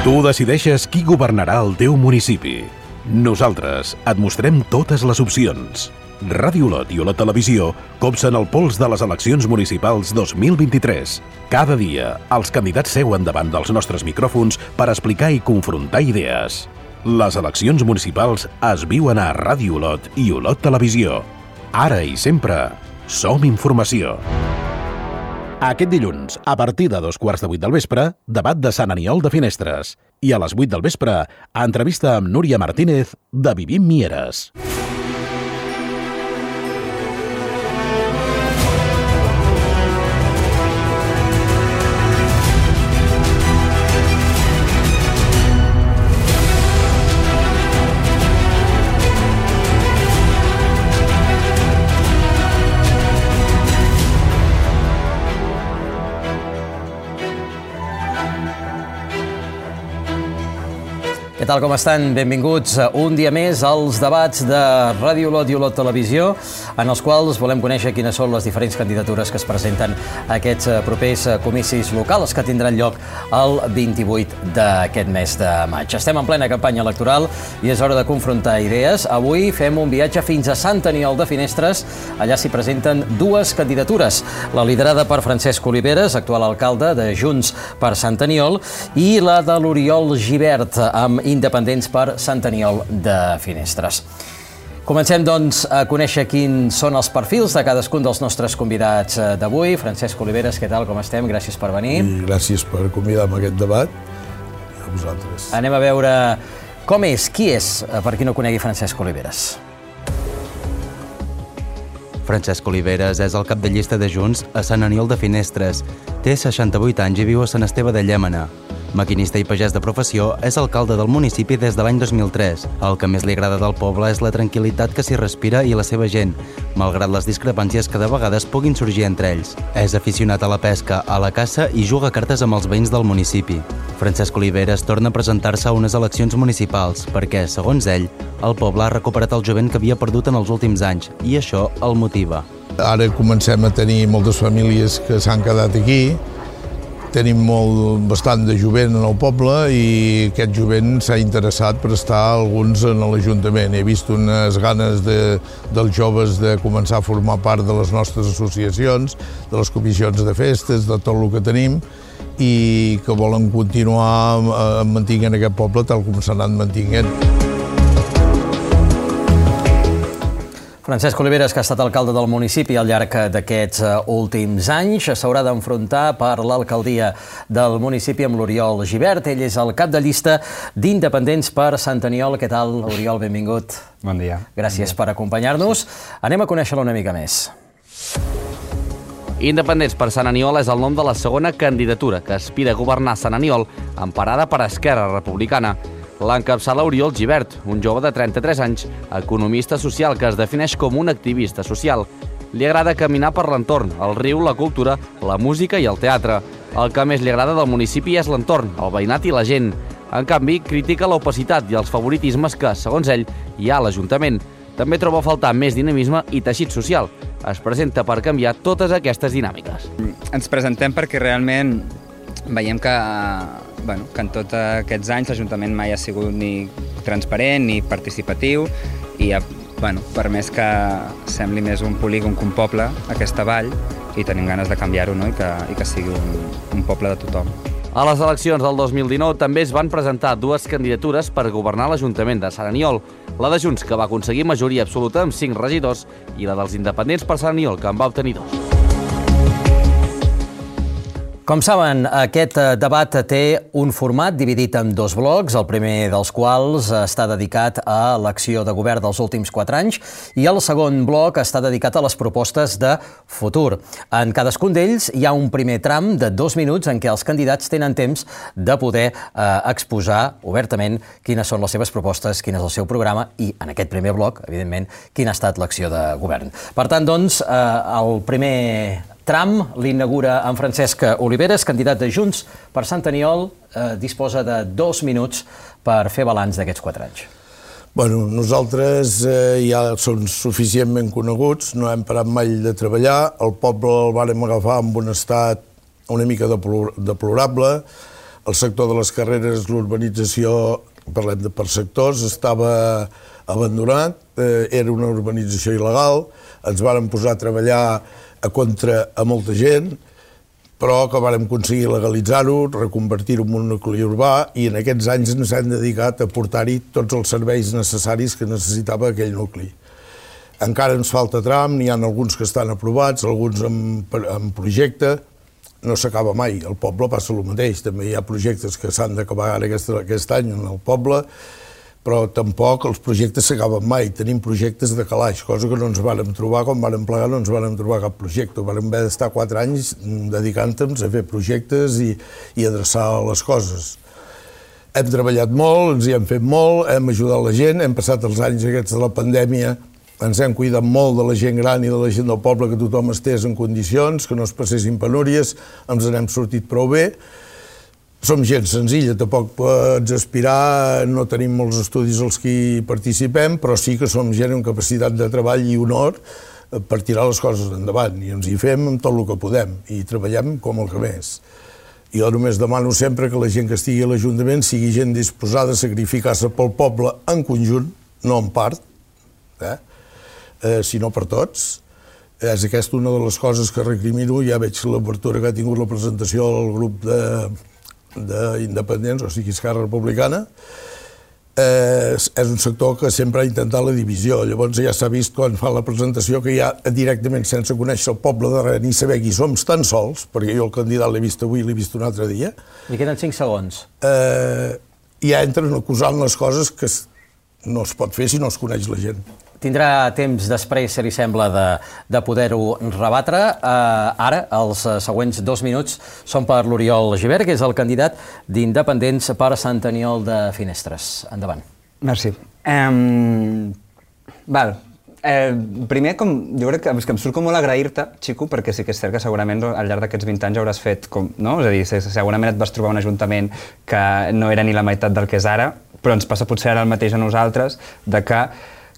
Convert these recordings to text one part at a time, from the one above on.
Tu decideixes qui governarà el teu municipi. Nosaltres et mostrem totes les opcions. Ràdio Olot i Olot Televisió copsen el pols de les eleccions municipals 2023. Cada dia, els candidats seuen davant dels nostres micròfons per explicar i confrontar idees. Les eleccions municipals es viuen a Ràdio Olot i Olot Televisió. Ara i sempre, som informació. Aquest dilluns, a partir de 7:15 del vespre, debat de Sant Aniol de Finestres. I a les 8 del vespre, entrevista amb Núria Martínez de Vivim Mieres. Què tal, com estan? Benvinguts un dia més als debats de Ràdio Olot i Olot Televisió, en els quals volem conèixer quines són les diferents candidatures que es presenten a aquests propers comicis locals que tindran lloc el 28 d'aquest mes de maig. Estem en plena campanya electoral i és hora de confrontar idees. Avui fem un viatge fins a Sant Aniol de Finestres. Allà s'hi presenten dues candidatures. La liderada per Francesc Oliveres, actual alcalde de Junts per Sant Aniol, i la de l'Oriol Gibert, amb Independents per Sant Aniol de Finestres. Comencem, doncs, a conèixer quins són els perfils de cadascun dels nostres convidats d'avui. Francesc Oliveres, què tal, com estem? Gràcies per venir. I gràcies per convidar-me a aquest debat. A vosaltres. Anem a veure com és, qui és, per qui no conegui Francesc Oliveres. Francesc Oliveres és el cap de llista de Junts a Sant Aniol de Finestres. Té 68 anys i viu a Sant Esteve de Llémena. Maquinista i pagès de professió, és alcalde del municipi des de l'any 2003. El que més li agrada del poble és la tranquil·litat que s'hi respira i la seva gent, malgrat les discrepàncies que de vegades puguin sorgir entre ells. És aficionat a la pesca, a la caça i juga a cartes amb els veïns del municipi. Francesc Oliveres torna a presentar-se a unes eleccions municipals perquè, segons ell, el poble ha recuperat el jovent que havia perdut en els últims anys i això el motiva. Ara comencem a tenir moltes famílies que s'han quedat aquí. Tenim bastant de jovent en el poble i aquest jovent s'ha interessat per estar alguns en l'Ajuntament. He vist unes ganes dels joves de començar a formar part de les nostres associacions, de les comissions de festes, de tot el que tenim, i que volen continuar mantenint aquest poble tal com s'ha anat mantenint. Francesc Oliveres, que ha estat alcalde del municipi al llarg d'aquests últims anys, s'haurà d'enfrontar per l'alcaldia del municipi amb l'Oriol Gibert. Ell és el cap de llista d'Independents per Sant Aniol. Què tal, Oriol? Benvingut. Bon dia. Gràcies per acompanyar-nos. Anem a conèixer-lo una mica més. Independents per Sant Aniol és el nom de la segona candidatura que aspira a governar Sant Aniol, emparada per Esquerra Republicana. L'encapçala Oriol Gibert, un jove de 33 anys, economista social que es defineix com un activista social. Li agrada caminar per l'entorn, el riu, la cultura, la música i el teatre. El que més li agrada del municipi és l'entorn, el veïnat i la gent. En canvi, critica l'opacitat i els favoritismes que, segons ell, hi ha a l'Ajuntament. També troba a faltar més dinamisme i teixit social. Es presenta per canviar totes aquestes dinàmiques. Ens presentem perquè realment veiem que en tots aquests anys l'Ajuntament mai ha sigut ni transparent ni participatiu i per més que sembli més un polígon que un poble, aquesta vall, i tenim ganes de canviar-ho, no? I que sigui un poble de tothom. A les eleccions del 2019 també es van presentar dues candidatures per governar l'Ajuntament de Sant Aniol, la de Junts, que va aconseguir majoria absoluta amb 5 regidors, i la dels Independents per Sant Aniol, que en va obtenir 2. Com saben, aquest debat té un format dividit en dos blocs, el primer dels quals està dedicat a l'acció de govern dels últims 4 anys i el segon bloc està dedicat a les propostes de futur. En cadascun d'ells hi ha un primer tram de 2 minuts en què els candidats tenen temps de poder exposar obertament quines són les seves propostes, quin és el seu programa i, en aquest primer bloc, evidentment, quina ha estat l'acció de govern. Per tant, doncs, el primer tram l'inaugura en Francesc Oliveres, candidat de Junts per Sant Aniol, disposa de 2 minuts per fer balanç d'aquests 4 anys. Nosaltres ja som suficientment coneguts, no hem parat mai de treballar, el poble el vàrem agafar en un estat una mica deplorable, El sector de les carreres, l'urbanització, parlem per sectors, estava abandonat, era una urbanització il·legal, ens vàrem posar a treballar a molta gent, però que vàrem aconseguir legalitzar-ho, reconvertir-ho en un nucli urbà, i en aquests anys ens hem dedicat a portar-hi tots els serveis necessaris que necessitava aquell nucli. Encara ens falta tram, n'hi ha alguns que estan aprovats, alguns en projecte, no s'acaba mai, al poble passa el mateix, també hi ha projectes que s'han d'acabar ara aquest any en el poble, però tampoc els projectes s'acaben mai, tenim projectes de calaix, cosa que no ens vàrem trobar, quan vàrem plegar no ens vàrem trobar cap projecte, vàrem haver d'estar 4 anys dedicant-nos a fer projectes i adreçar les coses. Hem treballat molt, ens hi hem fet molt, hem ajudat la gent, hem passat els anys aquests de la pandèmia, ens hem cuidat molt de la gent gran i de la gent del poble, que tothom estés en condicions, que no es passessin penúries, ens n'hem sortit prou bé. Som gent senzilla, tampoc pots aspirar, no tenim molts estudis als que hi participem, però sí que som gent amb capacitat de treball i honor per tirar les coses endavant, i ens hi fem amb tot el que podem, i treballem com el que més. Jo només demano sempre que la gent que estigui a l'Ajuntament sigui gent disposada a sacrificar-se pel poble en conjunt, no en part, sinó per tots. És aquesta una de les coses que recrimino, ja veig l'obertura que ha tingut la presentació del grup d'independents, o sigui, Esquerra Republicana. És un sector que sempre ha intentat la divisió. Llavors ja s'ha vist quan fa la presentació que ja directament, sense conèixer el poble de res ni saber qui som tan sols, perquè jo el candidat l'he vist avui i l'he vist un altre dia. I queden 5 segons. Ja entren acusant les coses que no es pot fer si no es coneix la gent. Tindrà temps després, si li sembla, de poder-ho rebatre. Ara, els següents 2 minuts són per l'Oriol Gibert, que és el candidat d'Independents per Sant Aniol de Finestres. Endavant. Merci. Primer, jo crec que em surt com molt agrair-te, Xico, perquè sí que és cert que segurament al llarg d'aquests 20 anys hauràs fet com, no? És a dir, segurament et vas trobar un ajuntament que no era ni la meitat del que és ara, però ens passa potser ara el mateix a nosaltres, de que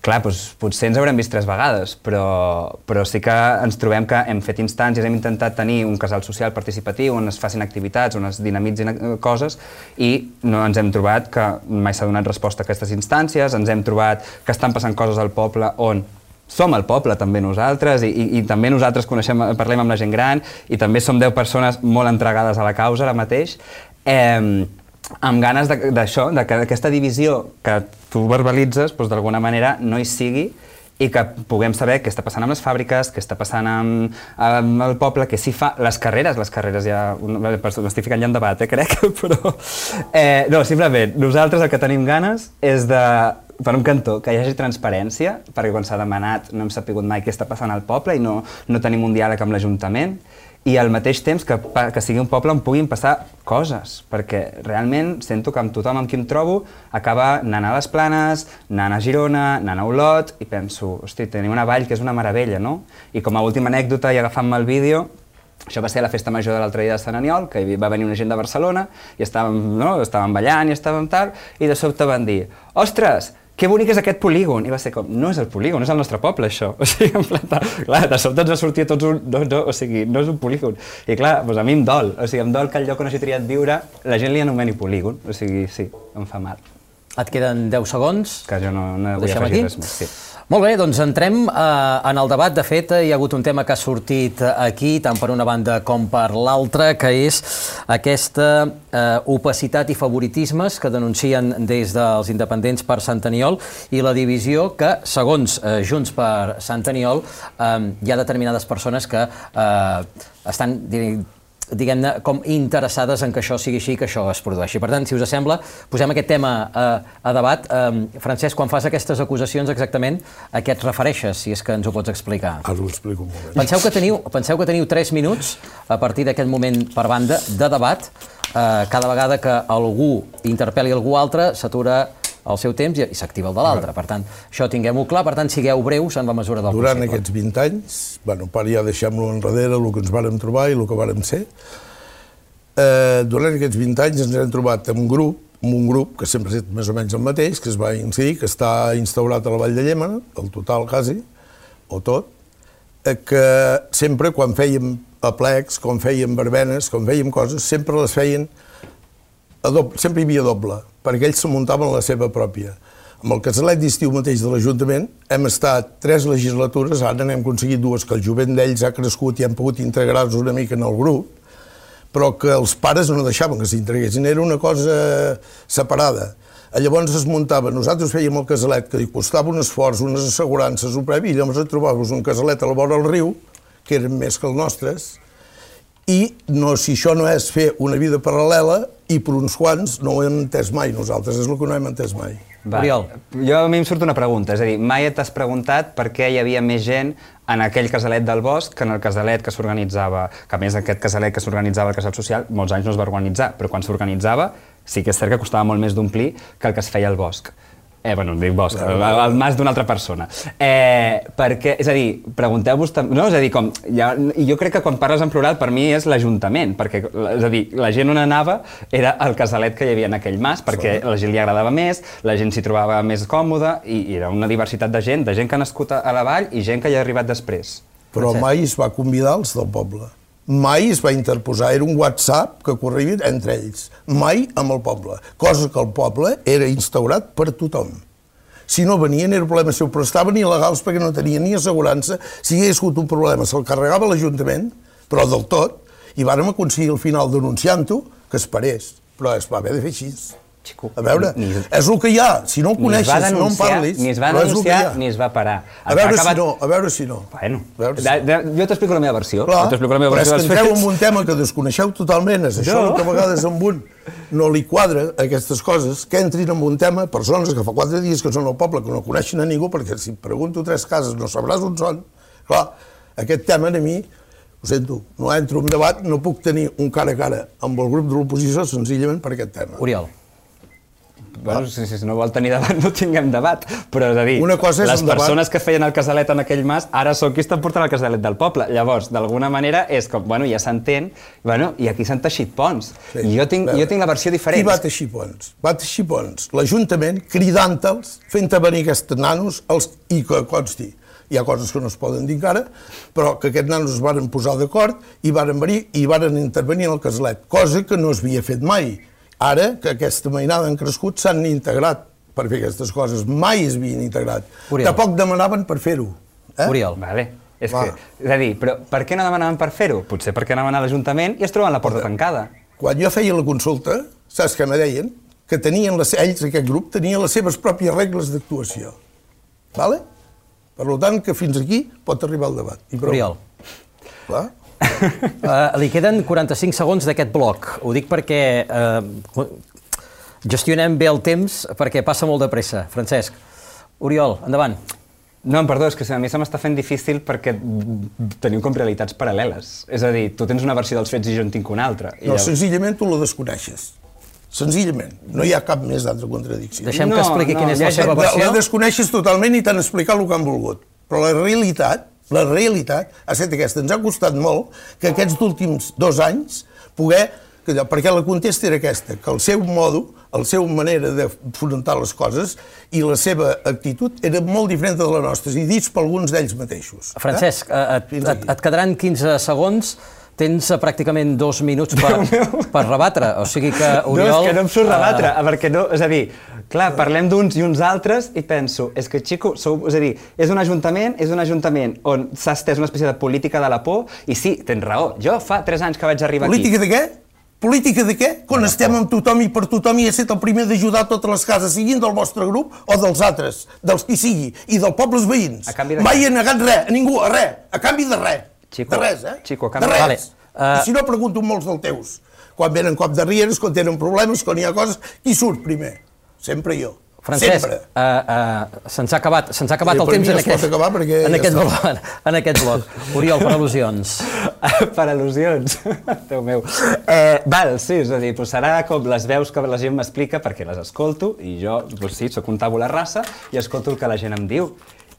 clar, potser ens haurem vist 3 vegades, però sí que ens trobem que hem fet instàncies, hem intentat tenir un casal social participatiu on es facin activitats, on es dinamitzin coses, i no ens hem trobat que mai s'ha donat resposta a aquestes instàncies, ens hem trobat que estan passant coses al poble on som el poble també nosaltres, i també nosaltres parlem amb la gent gran, i també som 10 persones molt entregades a la causa ara mateix, amb ganes d'això, que aquesta divisió que tu verbalitzes, d'alguna manera no hi sigui, i que puguem saber què està passant amb les fàbriques, què està passant amb el poble, què s'hi fa, les carreres ja... M'estic ficant ja en debat, crec, però... No, simplement, nosaltres el que tenim ganes és de, per un cantó, que hi hagi transparència, perquè quan s'ha demanat no hem sapigut mai què està passant al poble i no tenim un diàleg amb l'Ajuntament, i al mateix temps que sigui un poble on puguin passar coses, perquè realment sento que amb tothom amb qui em trobo acaba anant a les Planes, anant a Girona, anant a Olot, i penso, hosti, tenim una vall que és una meravella, no? I com a última anècdota, i agafant-me el vídeo, això va ser a la festa major de l'altre dia de Sant Aniol, que va venir una gent de Barcelona, i estàvem ballant i estàvem tal, i de sobte van dir, ostres, que bonic és aquest polígon! I va ser com, no és el polígon, és el nostre poble, això. O sigui, en plan, clar, de sobte ens va sortir a tots un... No, o sigui, no és un polígon. I clar, doncs a mi em dol. O sigui, em dol que el lloc on hagi triat viure la gent li anomeni polígon. O sigui, sí, em fa mal. Et queden 10 segons. Que jo no vull afegir res més, sí. Molt bé, doncs entrem en el debat. De fet, hi ha hagut un tema que ha sortit aquí, tant per una banda com per l'altra, que és aquesta opacitat i favoritismes que denuncien des dels independents per Sant Aniol i la divisió que, segons Junts per Sant Aniol, hi ha determinades persones que estan, diguem-ne, com interessades en que això sigui així i que això es produeixi. Per tant, si us sembla, posem aquest tema a debat. Francesc, quan fas aquestes acusacions exactament, a què et refereixes, si és que ens ho pots explicar? Ara ho explico un moment. Penseu que teniu 3 minuts, a partir d'aquest moment per banda, de debat. Cada vegada que algú interpel·li algú altre, s'atura el seu temps i s'activa el de l'altre. Per tant, això tinguem-ho clar. Per tant, sigueu breus en la mesura del possible. Durant aquests 20 anys, per ja deixem-lo enrere, el que ens vàrem trobar i el que vàrem ser, durant aquests 20 anys ens hem trobat amb un grup que sempre ha estat més o menys el mateix, que es va incidir, que està instaurat a la Vall de Llémena, el total quasi, o tot, que sempre quan fèiem aplecs, quan fèiem verbenes, quan fèiem coses, sempre les feien sempre hi havia doble, perquè ells se muntaven la seva pròpia. Amb el casalet d'estiu mateix de l'Ajuntament hem estat 3 legislatures, ara n'hem aconseguit 2, que el jovent d'ells ha crescut i han pogut integrar-se una mica en el grup, però que els pares no deixaven que s'integressin, era una cosa separada. Llavors es muntava, nosaltres fèiem el casalet, que li costava un esforç, unes assegurances, un previ, i llavors et trobaves un casalet a la vora del riu, que eren més que els nostres, i si això no és fer una vida paral·lela, i per uns quants no ho hem entès mai nosaltres, és el que no hem entès mai. Oriol. Jo a mi em surt una pregunta, és a dir, mai t'has preguntat per què hi havia més gent en aquell casalet del bosc que en el casalet que s'organitzava, que a més aquest casalet que s'organitzava al casal social molts anys no es va organitzar, però quan s'organitzava sí que és cert que costava molt més d'omplir que el que es feia al bosc. Bueno, dic bosc, el mas d'una altra persona. Perquè, és a dir, pregunteu-vos... No, és a dir, jo crec que quan parles en plural per mi és l'Ajuntament, perquè, és a dir, la gent on anava era el casalet que hi havia en aquell mas, perquè a la gent li agradava més, la gent s'hi trobava més còmoda, i era una diversitat de gent que ha nascut a la vall i gent que hi ha arribat després. Però mai es va convidar els del poble. Mai es va interposar, era un WhatsApp que corria entre ells, mai amb el poble, cosa que el poble era instaurat per tothom. Si no venien era problema seu, però estaven il·legals perquè no tenien ni assegurança, si hi hagués hagut un problema se'l carregava l'Ajuntament, però del tot, i vàrem aconseguir al final denunciant-ho que es parés, però es va haver de fer així. A veure, és el que hi ha, si no ho coneixes, no en parlis, ni es va denunciar ni es va parar. A veure si no. Bueno, jo t'explico la meva versió. Però és que entreu en un tema que desconeixeu totalment, és això que a vegades amb un no li quadra aquestes coses, que entrin en un tema persones que fa 4 dies que són al poble, que no coneixen a ningú, perquè si pregunto 3 cases no sabràs on són. Clar, aquest tema a mi, ho sento, no entro en debat, no puc tenir un cara a cara amb el grup de l'oposició senzillament per aquest tema. Oriol. Bueno, si no vol tenir debat, no tinguem debat, però és a dir, les persones que feien el casalet en aquell mas ara són qui estan portant el casalet del poble. Llavors, d'alguna manera, és com, bueno, ja s'entén, i aquí s'han teixit ponts. I jo tinc la versió diferent. Qui va teixir ponts? Va teixir ponts l'Ajuntament cridant-los, fent venir aquests nanos, i que consti, hi ha coses que no es poden dir encara, però que aquests nanos es van posar d'acord i van venir i van intervenir en el casalet, cosa que no s'havia fet mai. Ara, que aquesta mainada han crescut, s'han integrat per fer aquestes coses. Mai es havien integrat. Tampoc demanaven per fer-ho. Oriol. Vale. És a dir, però per què no demanaven per fer-ho? Potser perquè anaven a l'Ajuntament i es troben la porta tancada. Quan jo feia la consulta, saps què me deien? Que tenien ells, aquest grup, tenien les seves pròpies regles d'actuació. Vale? Per tant, que fins aquí pot arribar el debat. Oriol. Clar. Li queden 45 segons d'aquest bloc. Ho dic perquè gestionem bé el temps perquè passa molt de pressa. Francesc. Oriol, endavant. No, perdó, és que a mi se m'està fent difícil perquè tenim com realitats paral·leles. És a dir, tu tens una versió dels fets i jo en tinc una altra. No, senzillament tu la desconeixes. Senzillament. No hi ha cap més d'altra contradicció. Deixem que expliqui quina és la seva versió. La desconeixes totalment i t'han explicat el que han volgut. Però la realitat ha estat aquesta. Ens ha costat molt que aquests últims 2 anys poder... Perquè la contesta era aquesta, que el seu modo, la seva manera d'afrontar les coses i la seva actitud era molt diferent de la nostra, i dits per alguns d'ells mateixos. Francesc, et quedaran 15 segons, tens pràcticament 2 minuts per rebatre, o sigui que Oriol... No, és que no em surt rebatre, perquè no... És a dir, clar, parlem d'uns i uns altres i penso, és que, xico, és a dir, és un ajuntament on s'ha estès una espècie de política de la por, i sí, tens raó, jo fa 3 anys que vaig arribar aquí... Política de què? Política de què? Quan estem amb tothom i per tothom i he estat el primer d'ajudar totes les cases, siguin del vostre grup o dels altres, dels qui sigui, i dels pobles veïns. Mai he negat res, a ningú, a res, a canvi de res. De res, de res. I si no, pregunto molts dels teus. Quan venen cop de rieres, quan tenen problemes, quan hi ha coses, qui surt primer? Sempre jo. Francesc, se'ns ha acabat el temps en aquest bloc. Oriol, per al·lusions. Per al·lusions? Déu meu. Val, sí, és a dir, serà com les veus que la gent m'explica perquè les escolto i jo, sí, soc un tàbula rasa i escolto el que la gent em diu.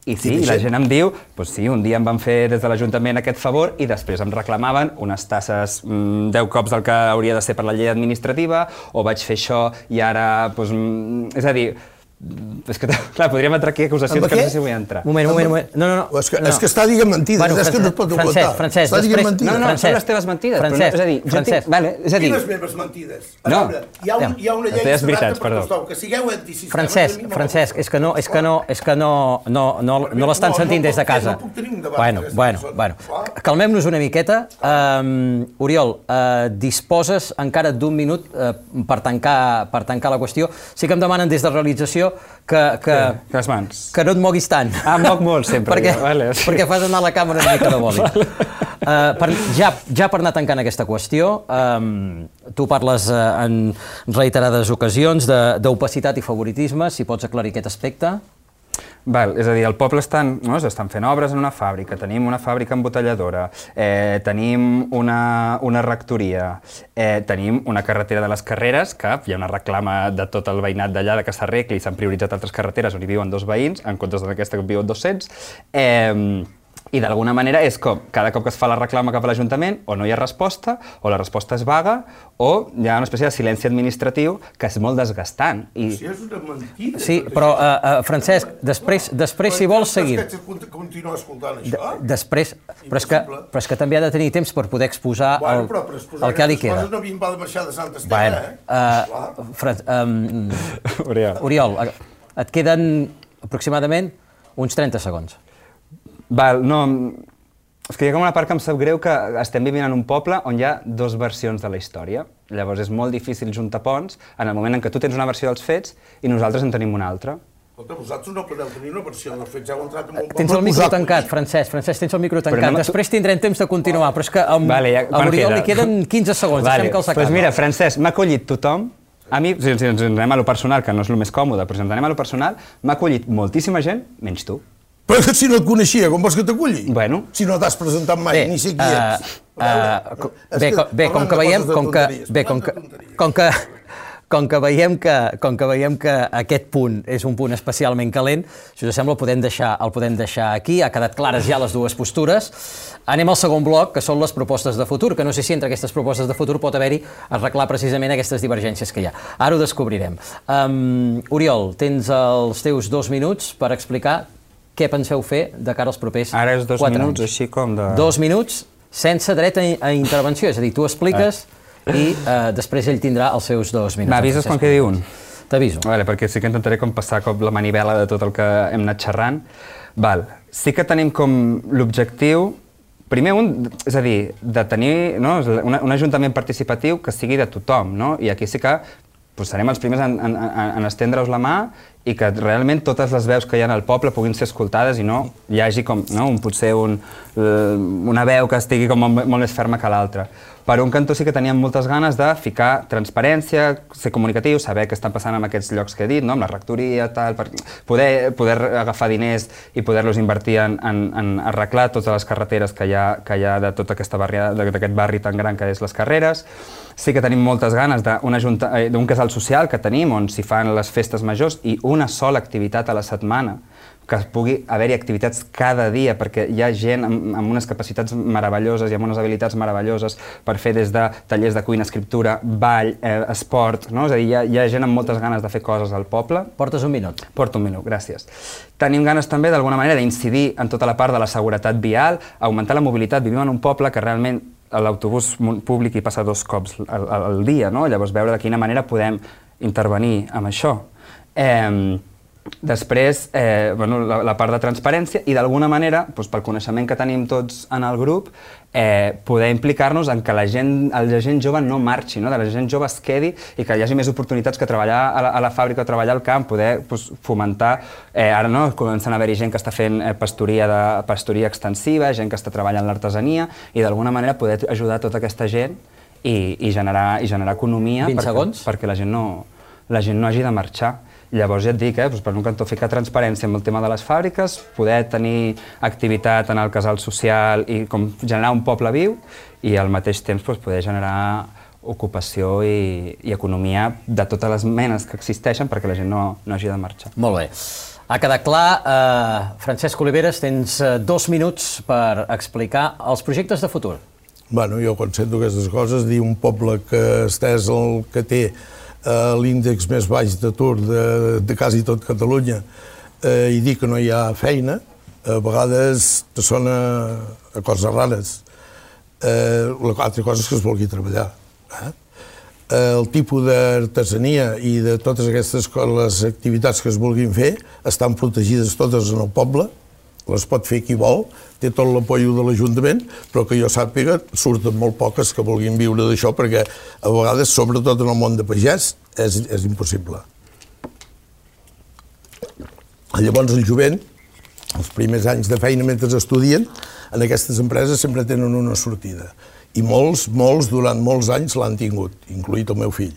I sí, la gent em diu, doncs sí, un dia em van fer des de l'Ajuntament aquest favor i després em reclamaven unes tasses 10 cops del que hauria de ser per la llei administrativa, o vaig fer això i ara, és a dir, És que, clar, podríem entrar aquí acusacions que no sé si vull entrar. Moment. No. És que està dient mentides, és que no es pot ocultar. Francesc, està dient mentides. No, són les teves mentides. Francesc. Quines meves mentides? No. Hi ha una llei veritats, per tothom, que sigueu antisistema. Francesc, és que no l'estan sentint des de casa. No puc tenir un debat. Bueno, calmem-nos una miqueta. Oriol, disposes encara d'un minut per tancar la qüestió. Sí que em demanen des de realització les mans. Que no et moguis tant. Em moc molt sempre. Perquè fas anar la càmera una mica de bòlit. Ja per anar tancant aquesta qüestió, tu parles en reiterades ocasions d'opacitat i favoritisme, si pots aclarir aquest aspecte. És a dir, al poble estan fent obres en una fàbrica, tenim una fàbrica embotelladora, tenim una rectoria, tenim una carretera de les Carreres, que hi ha una reclama de tot el veïnat d'allà que s'arregli i s'han prioritzat altres carreteres on hi viuen 2 veïns, en comptes d'aquesta que viuen 200, i d'alguna manera és com cada cop que es fa la reclama cap a l'Ajuntament o no hi ha resposta, o la resposta és vaga, o hi ha una espècie de silenci administratiu que és molt desgastant. Si és una mentida. Sí, però, Francesc, després si vols seguir... Però és que continuar escoltant això? Després, però és que també ha de tenir temps per poder exposar el que li queda. No havíem de marxar de Sant Esteve, Oriol, et queden aproximadament uns 30 segons. No, és que hi ha com una part que em sap greu que estem vivint en un poble on hi ha 2 versions de la història. Llavors és molt difícil juntar ponts en el moment en què tu tens una versió dels fets i nosaltres en tenim una altra. Escolta, vosaltres no podeu tenir una versió dels fets, heu entrat en un poble... Tens el micro tancat, Francesc, tens el micro tancat. Després tindrem temps de continuar, però és que a l'Oriol li queden 15 segons, deixem que els acabi. Doncs mira, Francesc, m'ha acollit tothom. A mi, si ens anem a lo personal, que no és el més còmode, però si ens anem a lo personal, m'ha acollit moltíssima gent, menys tu. Però que si no et coneixia, com vols que t'aculli? Bueno. Si no t'has presentat mai, ni sé qui ets. Bé, com que veiem que aquest punt és un punt especialment calent, si us sembla el podem deixar aquí, ha quedat clares ja les dues postures. Anem al segon bloc, que són les propostes de futur, que no sé si entre aquestes propostes de futur pot haver-hi arreglar precisament aquestes divergències que hi ha. Ara ho descobrirem. Oriol, tens els teus 2 minuts per explicar què penseu fer de cara als propers 4 anys. Ara és 2 minuts, així com de... 2 minuts sense dret a intervenció, és a dir, tu expliques i després ell tindrà els seus 2 minuts. M'avises quan quedi un? T'aviso. Perquè sí que intentaré com passar la manivela de tot el que hem anat xerrant. Sí que tenim com l'objectiu, primer és a dir, de tenir un ajuntament participatiu que sigui de tothom, i aquí sí que serem els primers en estendre-us la mà i que realment totes les veus que hi ha al poble puguin ser escoltades i no hi hagi com potser una veu que estigui com molt més ferma que l'altra. Per un cantó sí que teníem moltes ganes de ficar transparència, ser comunicatiu, saber què estan passant en aquests llocs que he dit, amb la rectoria, poder agafar diners i poder-los invertir en arreglar totes les carreteres que hi ha de tota aquesta d'aquest barri tan gran que és les Carreres. Sí que tenim moltes ganes d'un casal social que tenim on s'hi fan les festes majors i una sola activitat a la setmana, que pugui haver-hi activitats cada dia, perquè hi ha gent amb unes capacitats meravelloses i amb unes habilitats meravelloses per fer des de tallers de cuina, escriptura, ball, esport, és a dir, hi ha gent amb moltes ganes de fer coses al poble. Portes un minut. Porto un minut, gràcies. Tenim ganes també, d'alguna manera, d'incidir en tota la part de la seguretat vial, augmentar la mobilitat. Vivim en un poble que realment l'autobús públic hi passa 2 cops al dia, llavors veure de quina manera podem intervenir amb això. Després, la part de transparència i d'alguna manera, pel coneixement que tenim tots en el grup, poder implicar-nos en que la gent jove no marxi, que la gent jove es quedi i que hi hagi més oportunitats que treballar a la fàbrica o treballar al camp, poder fomentar, ara comencen a haver-hi gent que està fent pasturia extensiva, gent que està treballant l'artesania i d'alguna manera poder ajudar tota aquesta gent i generar economia perquè la gent no hagi de marxar. Llavors ja et dic, per un cantó ficar transparència amb el tema de les fàbriques, poder tenir activitat en el casal social i generar un poble viu i al mateix temps poder generar ocupació i economia de totes les menes que existeixen perquè la gent no hagi de marxar. Molt bé. Ha quedat clar. Francesc Oliveres, tens 2 minuts per explicar els projectes de futur. Jo quan sento aquestes coses, dir un poble que estès el que té l'índex més baix d'atur de quasi tot Catalunya i dir que no hi ha feina, a vegades te sona a coses rares. L'altra cosa és que es vulgui treballar. El tipus d'artesania i de totes aquestes les activitats que es vulguin fer estan protegides totes en el poble, les pot fer qui vol, té tot l'apoio de l'Ajuntament, però que jo sàpiga surten molt poques que vulguin viure d'això, perquè a vegades, sobretot en el món de pagès, és impossible. Llavors el jovent, els primers anys de feina mentre estudien, en aquestes empreses sempre tenen una sortida. I molts, durant molts anys l'han tingut, incloït el meu fill,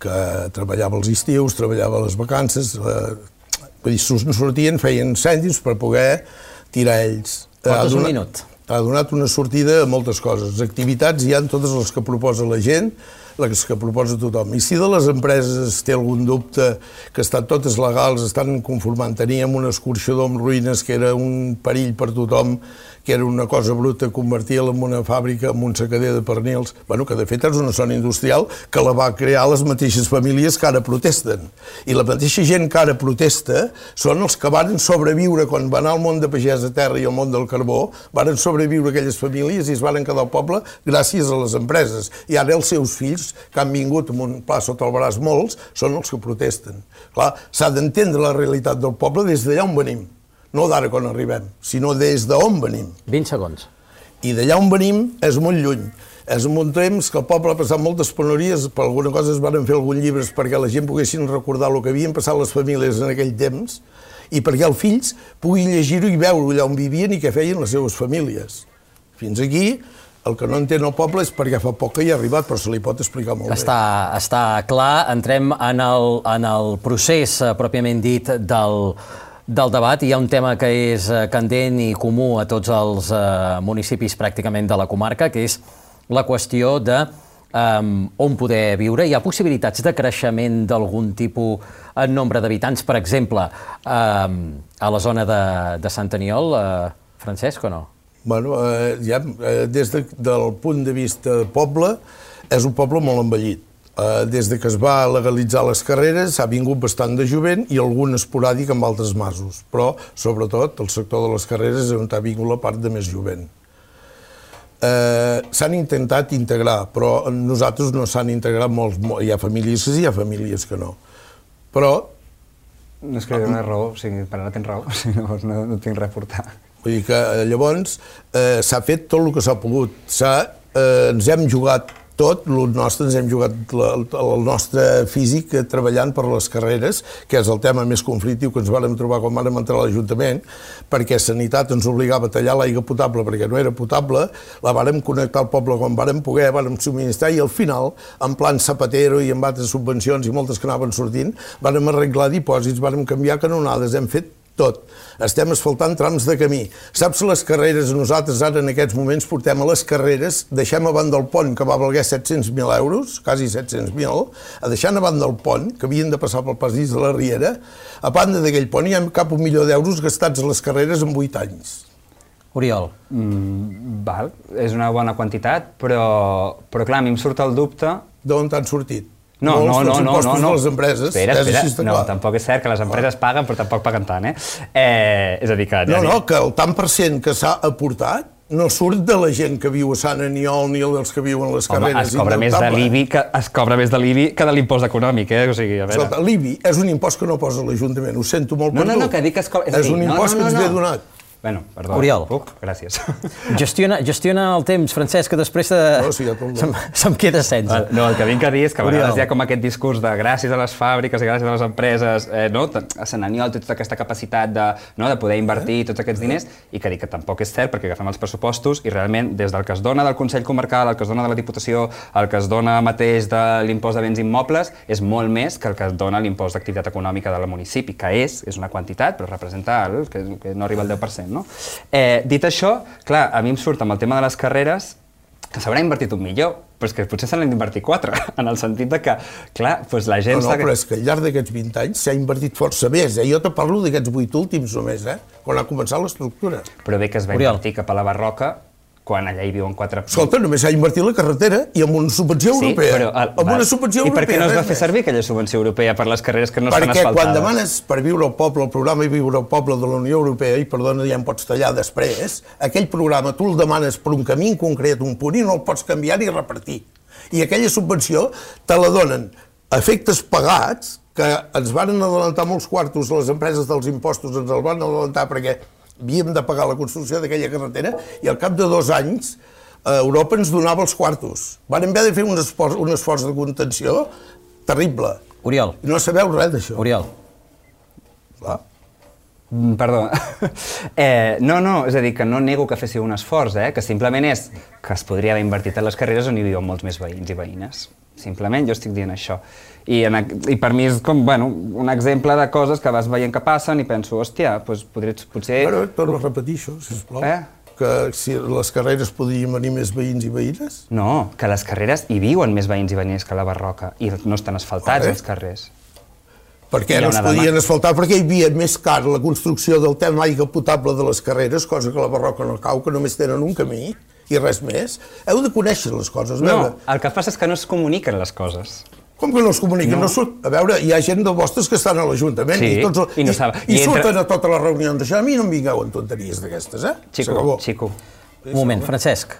que treballava els estius, treballava les vacances, vull dir, sortien, feien cèntims per poder tirar ells. Portes un minut. Ha donat una sortida a moltes coses. Activitats hi ha totes les que proposa la gent, les que proposa tothom. I si de les empreses té algun dubte, que estan totes legals, estan conformant, teníem un escorxador amb ruïnes que era un perill per tothom, que era una cosa bruta, convertir-la en una fàbrica, en un secader de pernils, bueno, que de fet és una zona industrial que la va crear les mateixes famílies que ara protesten. I la mateixa gent que ara protesta són els que van sobreviure quan va anar al món de pagès a terra i al món del carbó, van sobreviure aquelles famílies i es van quedar al poble gràcies a les empreses. I ara els seus fills, que han vingut amb un pla sota el braç molts, són els que protesten. Clar, s'ha d'entendre la realitat del poble des d'allà on venim. No d'ara quan arribem, sinó des d'on venim. 20 segons. I d'allà on venim és molt lluny. És un temps que el poble ha passat moltes penúries, per alguna cosa es van fer alguns llibres perquè la gent poguessin recordar el que havien passat les famílies en aquell temps i perquè els fills puguin llegir-ho i veure allà on vivien i què feien les seves famílies. Fins aquí, el que no entén el poble és perquè fa poc que hi ha arribat, però se li pot explicar molt bé. Està clar. Entrem en el procés pròpiament dit del debat. Hi ha un tema que és candent i comú a tots els municipis pràcticament de la comarca, que és la qüestió de on poder viure. Hi ha possibilitats de creixement d'algun tipus en nombre d'habitants, per exemple, a la zona de Sant Aniol, Francesc, o no? Bueno, des del punt de vista poble, és un poble molt envellit. Des que es va legalitzar les carreres ha vingut bastant de jovent i algun esporàdic amb altres masos, però sobretot el sector de les carreres és on ha vingut la part de més jovent. S'han intentat integrar, però nosaltres no s'han integrat molts. Hi ha famílies que sí, hi ha famílies que no. Però... No és que no és raó, o sigui, per ara tens raó, no tinc res a portar. Vull dir que llavors s'ha fet tot el que s'ha pogut. Ens hem jugat tot, ens hem jugat el nostre físic treballant per les carreres, que és el tema més conflictiu que ens vàrem trobar quan vàrem entrar a l'Ajuntament, perquè Sanitat ens obligava a tallar l'aigua potable perquè no era potable, la vàrem connectar al poble quan vàrem poder, vàrem subministrar i al final, en plan Zapatero i amb altres subvencions i moltes que anaven sortint, vàrem arreglar dipòsits, vàrem canviar canonades, hem fet tot. Estem asfaltant trams de camí. Saps les carreres? Nosaltres ara en aquests moments portem a les carreres, deixem a banda el pont que va valer 700.000 euros, quasi 700.000, deixant a banda el pont, que havien de passar pel passeig de la Riera, a banda d'aquell pont hi ha cap $1 milió gastats a les carreres en 8 anys. Oriol. Val, és una bona quantitat, però clar, a mi em surt el dubte... D'on t'han sortit? No. De les empreses. Espera. No, tampoc és cert que les empreses paguen, però tampoc paguen tant, és a dir que... No, que el tant per cent que s'ha aportat no surt de la gent que viu a Sant Aniol ni dels que viuen a les carreres. Es cobra més de l'IBI que de l'impost econòmic, o sigui, a veure... L'IBI és un impost que no posa l'Ajuntament, ho sento molt per tu. No, que dic que es cobra... És un impost que ens ve donat. Bueno, perdó. Oriol. Gràcies. Gestiona el temps, Francesc, que després se'm queda sense. No, el que vinc a dir és que a vegades hi ha com aquest discurs de gràcies a les fàbriques i gràcies a les empreses, a Sant Aniol té tota aquesta capacitat de poder invertir tots aquests diners i que dic que tampoc és cert perquè agafem els pressupostos i realment des del que es dona del Consell Comarcal, el que es dona de la Diputació, el que es dona mateix de l'impost de béns immobles és molt més que el que es dona l'impost d'activitat econòmica del municipi, que és una quantitat, però representa que no arriba al 10%. No? Dit això, clar, a mi em surt amb el tema de les carreres que s'haurà invertit $1 milió, però és que potser se n'han d'invertir 4, en el sentit de que, clar, doncs la gent... No, però és que al llarg d'aquests 20 anys s'ha invertit força més, Jo te parlo d'aquests 8 últims només, quan ha començat l'estructura. Però bé que es va invertir cap a la Barroca quan allà hi viuen 4... Escolta, només s'ha invertit la carretera i amb una subvenció europea. Amb una subvenció europea. I per què no es va fer servir aquella subvenció europea per les carreres que no estan asfaltades? Perquè quan demanes per viure al poble, el programa Viure al Poble de la Unió Europea, i perdona, ja em pots tallar després, aquell programa tu el demanes per un camí en concret, un punt, i no el pots canviar ni repartir. I aquella subvenció te la donen a efectes pagats, que ens van adelantar molts quartos, les empreses dels impostos ens el van adelantar perquè havíem de pagar la construcció d'aquella carretera, i al cap de 2 anys Europa ens donava els quartos. Van haver de fer un esforç de contenció terrible. Oriol. I no sabeu res d'això. Oriol. Clar. Perdó. No, és a dir, que no nego que féssiu un esforç, que simplement és que es podria haver invertit en les carreres on hi viuen molts més veïns i veïnes. Simplement jo estic dient això. I per mi és com, un exemple de coses que vas veient que passen i penso, hòstia, doncs potser... Però torno a repetir això, sisplau. Que si les carreres podrien venir més veïns i veïnes? No, que les carreres hi viuen més veïns i veïnes que la Barroca i no estan asfaltats els carrers. Per què no es podien asfaltar? Perquè hi havia més car la construcció del tema aigua potable de les carreres, cosa que la Barroca no cau, que només tenen un camí i res més. Heu de conèixer les coses. No, el que passa és que no es comuniquen les coses. Com que no es comuniquen? A veure, hi ha gent de vostres que estan a l'Ajuntament i surten a totes les reunions d'això. A mi no em vingueu en tonteries d'aquestes, Xico. Un moment, Francesc.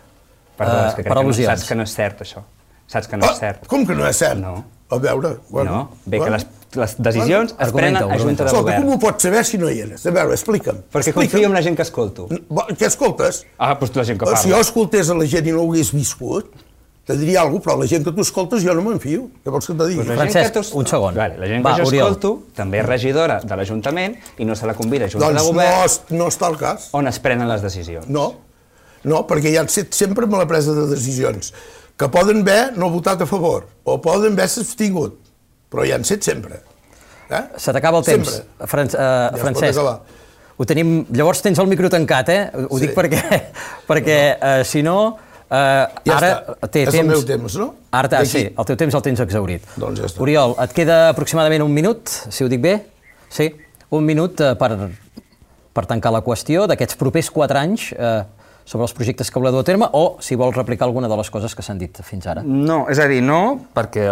Perdó, és que crec que saps que no és cert, això. Saps que no és cert. Com que no és cert? No. A veure... No, bé que les decisions es prenen a Junta de Govern. Com ho pots saber si no hi eres? A veure, explica'm. Perquè confio en la gent que escolto. Què escoltes? Doncs la gent que parla. Si jo escoltés a la gent i no ho hagués viscut, te diria alguna cosa, però la gent que tu escoltes jo no me'n fio. Què vols que et digui? Francesc, un segon. La gent que jo escolto també és regidora de l'Ajuntament i no se la convida a Junta de Govern. Doncs no està el cas. On es prenen les decisions. No, perquè hi han set sempre amb la presa de decisions, que poden haver no votat a favor, o poden haver s'abstingut, però hi han set sempre. Se t'acaba el temps, Francesc. Ho tenim... Llavors tens el micro tancat, Ho dic perquè si no... Ja està, és el meu temps, no? Ara sí, el teu temps el tens exhaurit. Doncs ja està. Oriol, et queda aproximadament 1 minut, si ho dic bé? Sí, 1 minut per tancar la qüestió d'aquests propers 4 anys sobre els projectes que voleu dur a terme, o si vols replicar alguna de les coses que s'han dit fins ara. No, és a dir, no, perquè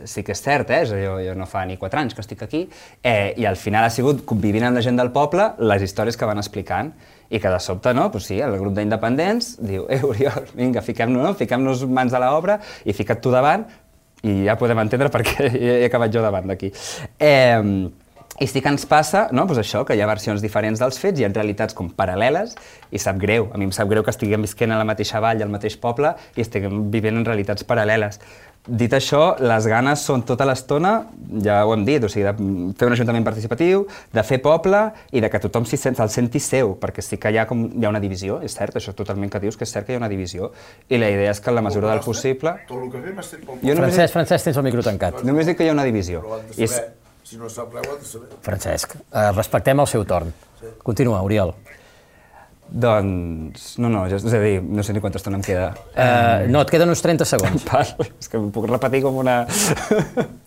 sí que és cert, jo no fa ni 4 anys que estic aquí, i al final ha sigut convivint amb la gent del poble les històries que van explicant, i que de sobte, sí, el grup d'independents diu, Oriol, vinga, fiquem-nos mans a l'obra i fica't tu davant, i ja podem entendre per què he acabat jo davant d'aquí. I sí que ens passa, això, que hi ha versions diferents dels fets, hi ha realitats com paral·leles, i sap greu, a mi em sap greu que estiguem visquent a la mateixa vall, al mateix poble, i estiguem vivint en realitats paral·leles. Dit això, les ganes són tota l'estona, ja ho hem dit, o sigui, de fer un ajuntament participatiu, de fer poble i de que tothom se'l senti seu, perquè sí que hi ha una divisió, és cert, això totalment que dius, que és cert que hi ha una divisió, i la idea és que en la mesura del possible... Francesc, tens el micro tancat. Només dic que hi ha una divisió. Si no sap res, ho ha de saber. Francesc, respectem el seu torn. Continua, Oriol. Doncs... No, és a dir, no sé ni quanta estona em queda. No, et queden uns 30 segons. És que m'ho puc repetir com una...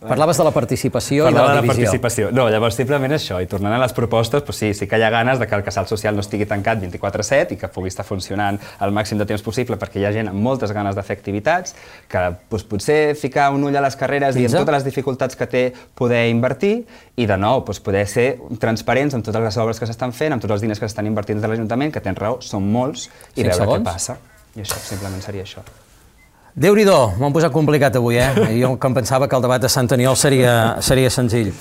Parlaves de la participació i de la divisió. No, llavors simplement això, i tornant a les propostes, sí que hi ha ganes de que el casal social no estigui tancat 24/7 i que pugui estar funcionant el màxim de temps possible, perquè hi ha gent amb moltes ganes de fer activitats, que potser ficar un ull a les carreres i amb totes les dificultats que té poder invertir, i de nou poder ser transparents amb totes les obres que s'estan fent, amb tots els diners que s'estan invertint de l'Ajuntament, que tens raó, són molts, i veure què passa. I això, simplement seria això. Déu-n'hi-do, m'ho han posat complicat avui, Jo que em pensava que el debat de Sant Aniol seria senzill.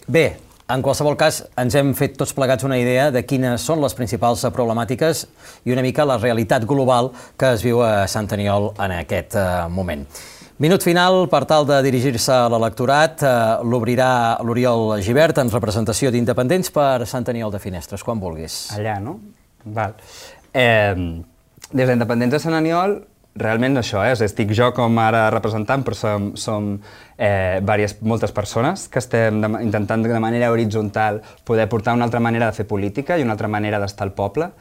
Bé, en qualsevol cas, ens hem fet tots plegats una idea de quines són les principals problemàtiques i una mica la realitat global que es viu a Sant Aniol en aquest moment. Minut final per tal de dirigir-se a l'electorat. L'obrirà l'Oriol Gibert en representació d'Independents per Sant Aniol de Finestres, quan vulguis. Allà, no? Val. Des d'Independents de Sant Aniol, realment això, estic jo com ara representant, però som moltes persones que estem intentant de manera horitzontal poder portar una altra manera de fer política i una altra manera d'estar al poble.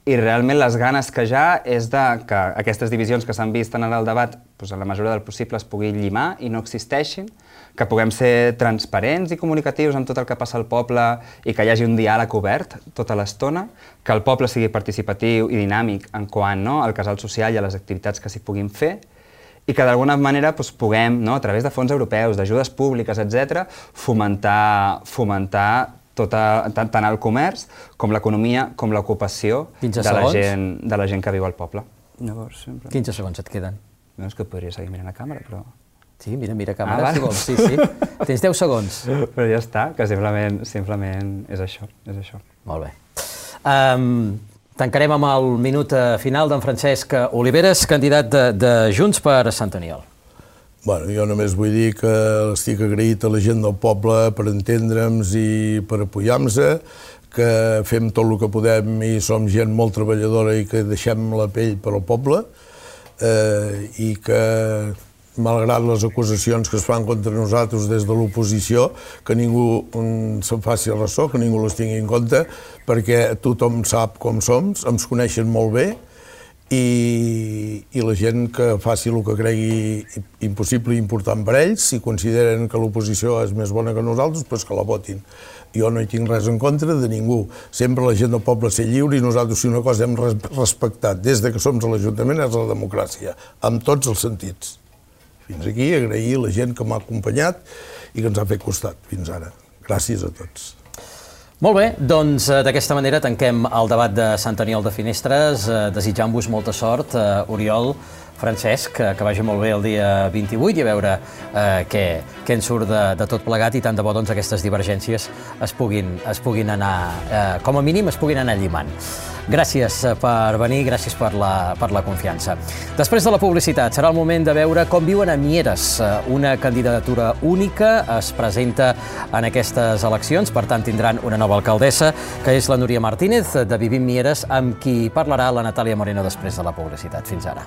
i realment les ganes que ja és que aquestes divisions que s'han vist en el debat, en la mesura del possible es pugui llimar i no existeixin, que puguem ser transparents i comunicatius amb tot el que passa al poble i que hi hagi un diàleg obert tota l'estona, que el poble sigui participatiu i dinàmic en quant al casal social i a les activitats que s'hi puguin fer, i que d'alguna manera puguem, a través de fons europeus, d'ajudes públiques, etc., fomentar tant el comerç com l'economia, com l'ocupació de la gent que viu al poble. 15 segons et queden. No, és que podria seguir mirant a càmera, però... Sí, mira a càmera, si vols. Sí. Tens 10 segons. Però ja està, que simplement és això. Molt bé. Tancarem amb el minut final d'en Francesc Oliveres, candidat de Junts per Sant Aniol. Jo només vull dir que estic agraït a la gent del poble per entendre'ns i per apoyar-nos, que fem tot el que podem i som gent molt treballadora i que deixem la pell per al poble i que, malgrat les acusacions que es fan contra nosaltres des de l'oposició, que ningú se'n faci ressò, que ningú les tingui en compte, perquè tothom sap com som, ens coneixen molt bé, i la gent que faci el que cregui impossible i important per ells, si consideren que l'oposició és més bona que nosaltres, doncs que la votin. Jo no hi tinc res en contra de ningú. Sempre la gent del poble ser lliure i nosaltres, si una cosa hem respectat des que som a l'Ajuntament, és la democràcia, amb tots els sentits. Fins aquí, agrair la gent que m'ha acompanyat i que ens ha fet costat fins ara. Gràcies a tots. Molt bé, doncs d'aquesta manera tanquem el debat de Sant Aniol de Finestres, desitjant-vos molta sort, Oriol, Francesc, que vagi molt bé el dia 28 i a veure què en surt de tot plegat i tant de bo aquestes divergències es puguin anar, com a mínim es puguin anar llimant. Gràcies per venir, gràcies per la confiança. Després de la publicitat serà el moment de veure com viuen a Mieres. Una candidatura única es presenta en aquestes eleccions, per tant tindran una nova alcaldessa, que és la Núria Martínez, de Vivim Mieres, amb qui parlarà la Natàlia Moreno després de la publicitat. Fins ara.